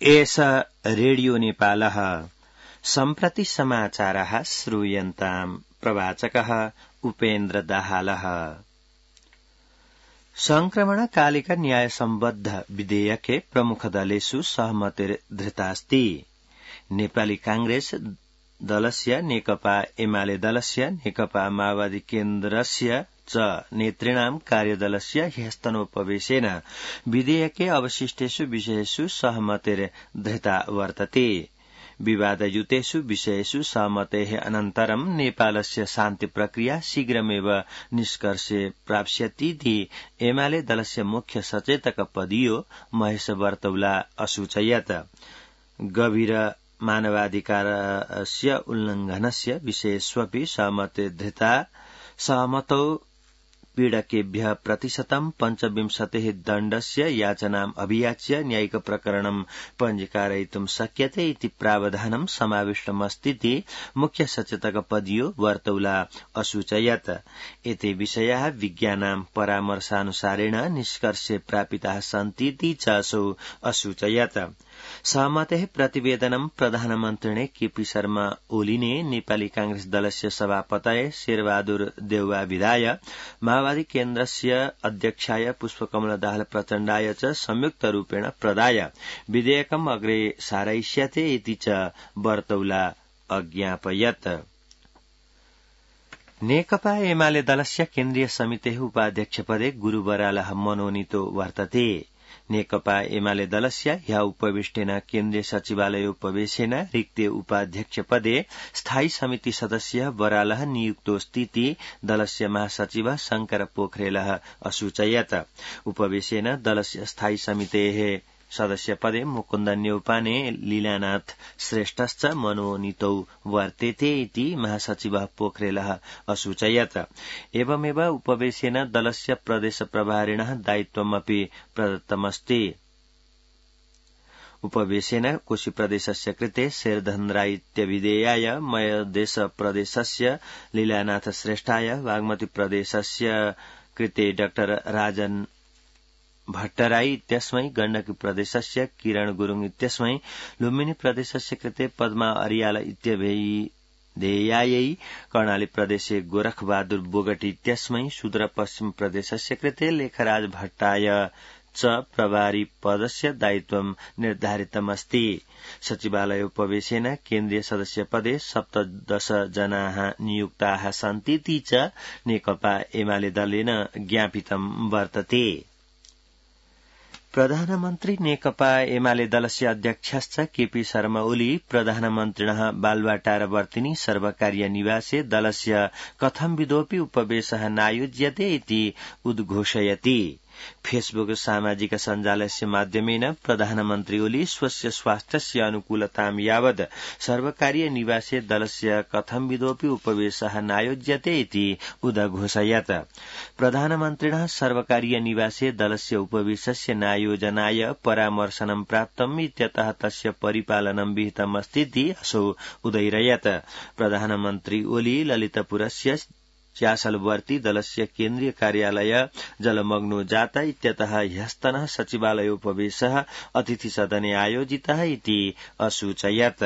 एष रेडियो नेपालः सम्प्रति समाचारः श्रूयन्ताम् प्रवाचकः उपेन्द्र दाहालः। संक्रमणकालिक न्यायसम्बद्ध विधेयके प्रमुखदलेषु सहमतिर्धृतास्ति। नेपाली कांग्रेस दलस्य नेकपा एमाले दलस्य नेकपा माओवादी केन्द्रस्य च नेतृणां कार्यदलस्य ह्यस्तनोपवेशेन विधेयके अवशिष्टेषु विषयेषु सहमतिर्धृता वर्तते। विवादयुतेषु विषयेषु सहमतेः अनन्तरं नेपालस्य शान्ति प्रक्रिया शीघ्रमेव निष्कर्षे प्राप्स्यतीति एमाले दलस्य मुख्य सचेतक पदीयो महेश बर्तौला असूचयत्। गभीर मानवाधिकारस्य उल्लंघनस्य विषयेष्वपि सहमतिर्धृता। सहमतौ पीडकेभ्यः प्रतिशतं 25% दण्डस्य याचनाम् अभियाच्य न्यायिक प्रकरणं पञ्जीकारयितुं शक्यते इति प्रावधानं समाविष्टमस्तीति मुख्य सचेतक पदीयो बर्तौला असूचयत्। एते विषयाः विज्ञानां परामर्शानुसारेण निष्कर्षे प्रापिताः सन्तीति च असौ असूचयत्। सहमतेः प्रतिवेदनं प्रधानमन्त्रिणे केपी शर्मा ओलीने नेपाली कांग्रेस दलस्य सभापतये शेरबहादुर देउवा विदाय माओवादी केन्द्रस्य अध्यक्षाय पुष्पकमल दाहाल प्रचण्डाय च संयुक्तरूपेण प्रदाय विधेयकम् अग्रे सारयिष्यते इति च बर्तौला अज्ञापयत्। नेकपा एमाले दलस्य केन्द्रीय समितेः उपाध्यक्षपदे गुरु बरालः मनोनीतो वर्तते। नेकपा एमाले दलस्य ह्य उपविष्टेन केन्द्रीय सचिवालयोपवेशेन रिक्ते उपाध्यक्षपदे स्थायी समिति सदस्य बरालः नियुक्तोऽस्तीति दलस्य महासचिव शंकर पोखरेलः असूचयत्। उपवेशेन दलस्य स्थायी समितेः सदस्यपदे मुकुन्द न्यौपाने लीलानाथ श्रेष्ठश्च मनोनीतौ वर्तेते इति महासचिवः पोखरेलः असूचयत्। एवमेव उपवेशेन दलस्य प्रदेश प्रभारिणः दायित्वमपि प्रदत्तमस्ति। उपवेशेन कोशी प्रदेशस्य कृते शेरधन राई इत्यभिधेयाय, मयदेश प्रदेशस्य लीलानाथ श्रेष्ठाय, बागमती प्रदेशस्य कृते डाक्टर राजन भट्टराई इत्यस्मै, गण्डकी प्रदेशस्य किरण गुरुङ इत्यस्मै, लुम्बिनी प्रदेशस्य कृते पद्मा अरियाल इत्यभिधेयायै, कर्णाली प्रदेशे गोरख बहादुर बोगटी इत्यस्मै, सुदूरपश्चिम प्रदेशस्य कृते लेखराज भट्टाय च प्रभारी पदस्य दायित्वं निर्धारितमस्ति। सचिवालयोपवेशेन केन्द्रीय सदस्यपदे 17 जनाः नियुक्ताः सन्तीति च नेकपा एमाले दलेन ज्ञापितं वर्तते। प्रधानमन्त्री नेकपा एमाले दलस्य अध्यक्षश्च केपी शर्मा ओली प्रधानमन्त्रिणः बालुवाटारवर्तिनि सर्वकारीय निवासे दलस्य कथंविधोऽपि उपवेशः नायोज्यते इति उद्घोषयति। फेसबुक सामाजिक सञ्जालस्य माध्यमेन प्रधानमन्त्री ओली स्वस्य स्वास्थ्यस्य अनुकूलतां यावद् सर्वकारीय निवासे दलस्य कथंविधोऽपि उपवेशः नायोज्यते इति उदघोषयत्। प्रधानमन्त्रिणः सर्वकारीय निवासे दलस्य उपवेशस्य नायोजनाय परामर्शनं प्राप्तम् इत्यतः तस्य परिपालनं विहितमस्तीति असौ उदैरयत्। प्रधानमन्त्री ओली ललितपुरस्य चासलवर्ती दलस्य केन्द्रीय कार्यालय जलमग्नो जाता इत्यतः ह्यस्तनः सचिवालयोपवेशः अतिथिसदने आयोजितः इति असूचयत्।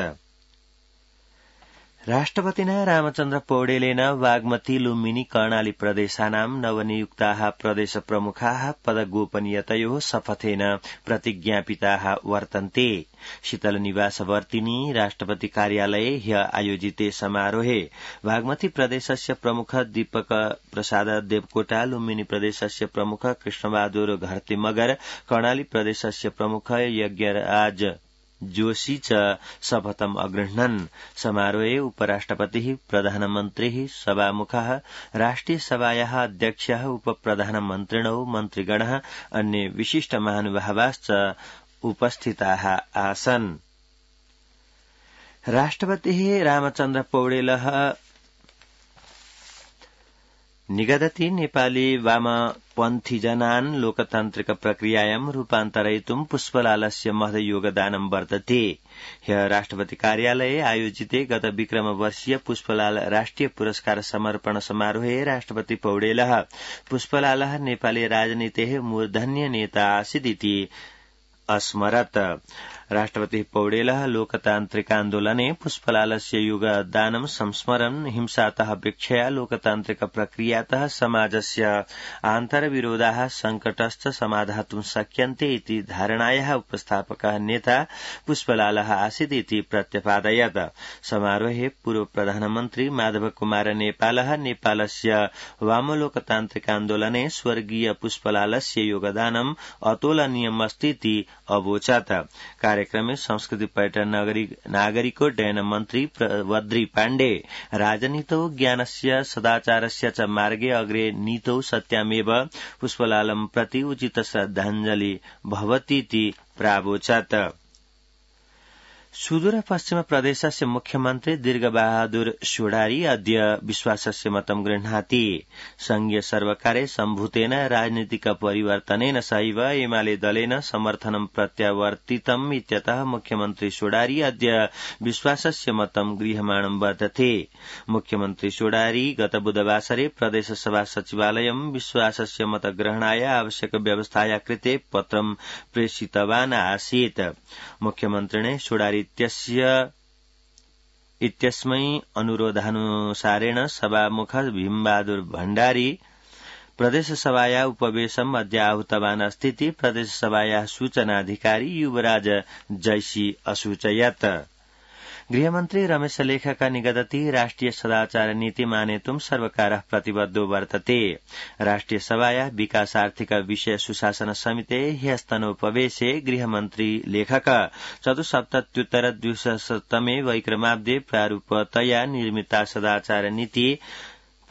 राष्ट्रपतिना रामचन्द्र पौडेलेन बागमती, लुम्बिनी, कर्णाली प्रदेशानां नवनियुक्ताः प्रदेश प्रमुखाः पदगोपनीयतयोः शपथेन प्रतिज्ञापिताः वर्तन्ते। शीतलनिवासवर्तिनि राष्ट्रपति कार्यालये ह्य आयोजिते समारोहे बागमती प्रदेशस्य प्रमुख दीपक प्रसाद देवकोटा, लुम्बिनी प्रदेशस्य प्रमुख कृष्णबहादुर घरती मगर, कर्णाली प्रदेशस्य प्रमुख यज्ञराज जोशी च शपथम् अगृह्णन्। समारोहे उपराष्ट्रपतिः, प्रधानमन्त्रिः, सभामुखः, राष्ट्रिय सभायाः अध्यक्षः, उपप्रधानमन्त्रिणौ, मन्त्रिगणः, अन्ये विशिष्ट महानुभावाश्च उपस्थिताः आसन्। राष्ट्रपतिः रामचन्द्र पौडेलः निगदति नेपाली वामपन्थीजनान् लोकतान्त्रिक प्रक्रियायां रूपान्तरयितुं पुष्पलालस्य महद योगदानं वर्तते। ह्यः राष्ट्रपति कार्यालये आयोजिते गत विक्रमवर्षीय पुष्पलाल राष्ट्रिय पुरस्कार समर्पण समारोहे राष्ट्रपति पौडेलः पुष्पलालः नेपाली राजनीतेः मूर्धन्य नेता आसीदिति अस्मरत्। राष्ट्रपति पौडेलः लोकतान्त्रिकान्दोलने पुष्पलालस्य योगदानं संस्मरन् हिंसातः वीक्षया लोकतान्त्रिक प्रक्रियातः समाजस्य आन्तरविरोधाः संकटश्च समाधातुं शक्यन्ते इति धारणायाः उपस्थापकः नेता पुष्पलालः आसीत् इति प्रत्यपादयत्। समारोहे पूर्व प्रधानमन्त्री माधव कुमार नेपालः नेपालस्य वामलोकतान्त्रिकान्दोलने स्वर्गीय पुष्पलालस्य योगदानम् अतुलनीयमस्ति इति अवोचत्। कार्यक्रमे संस्कृति पर्यटन नागरिकोड्डयन मन्त्री वद्री पाण्डे राजनीतौ ज्ञानस्य सदाचारस्य च मार्गे अग्रे नीतौ सत्यामेव पुष्पलालं प्रति उचित श्रद्धाञ्जलि भवतीति प्रावोचत्। सुदूर पश्चिम प्रदेशस्य मुख्यमन्त्री दीर्घबहादुर शोडारी अद्य विश्वासस्य मतं गृह्णाति। संघीय सर्वकारे सम्भूतेन राजनीतिक परिवर्तनेन सहैव एमाले दलेन समर्थनं प्रत्यावर्तितम् इत्यतः मुख्यमन्त्री शोडारी अद्य विश्वासस्य मतं गृह्यमाणं वर्तते। मुख्यमन्त्री शोडारी गत बुधवासरे प्रदेशसभा सचिवालयं विश्वासस्य मतग्रहणाय आवश्यक व्यवस्थाया कृते पत्रं प्रेषितवान् आसीत्। मुख्यमन्त्रिणे शोडारी इत्यस्मै अनुरोधानुसारेण सभामुख भीमबहादुर भण्डारी प्रदेशसभाया उपवेशनम् अद्य आहूतवान् अस्ति। प्रदेशसभाया सूचनाधिकारी युवराज जैसी असूचयत्। गृहमन्त्री रमेश लेखक निगदति राष्ट्रिय सदाचार नीति मानेतुं सर्वकारः प्रतिबद्धो वर्तते। राष्ट्रिय सभाया विकासार्थिक विषय सुशासन समिते ह्यस्तनोपवेशे गृहमन्त्री लेखक चतुस्सप्तत्युत्तर 200तमे वैक्रमाब्दे प्रारूपतया निर्मिता सदाचार नीति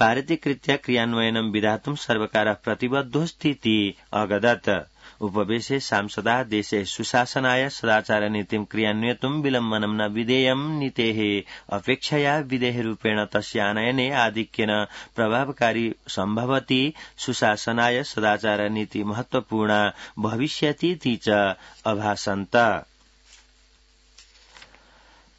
पारितीकृत्य क्रियान्वयनं विधातुं सर्वकारः प्रतिबद्धोऽस्ति अगदत्। उपवेशे सांसदा देशे सुशासनाय सदाचार नीतिं क्रियान्वयितुं विलम्बनं न विधेयं नीतेः अपेक्षया विधेयरूपेण तस्य आनयने आधिक्येन प्रभावकारी सम्भवति। सुशासनाय सदाचार नीति महत्वपूर्णा भविष्यतीति च अभासन्त।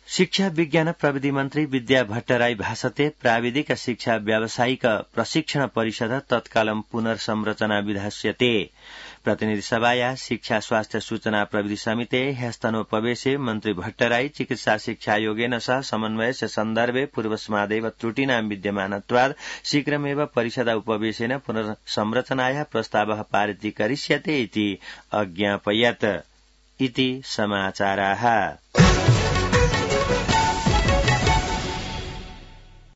शिक्षा विज्ञान प्रविधि मन्त्री विद्या भट्टराई भाषते प्राविधिक शिक्षा व्यावसायिक प्रशिक्षण परिषद तत्कालं पुनर्संरचना विधास्यते। प्रतिनिधि सभाया शिक्षा स्वास्थ्य सूचना प्रविधि समिते ह्यस्तनोपवेशे मन्त्री भट्टराई चिकित्सा शिक्षा योगेन सह समन्वयस्य सन्दर्भे पूर्वस्मादेव त्रुटीनां विद्यमानत्वात् शीघ्रमेव परिषद उपवेशेन पुनर्संरचनायाः प्रस्तावः पारितीकरिष्यते इति अज्ञापयत् इति समाचाराः।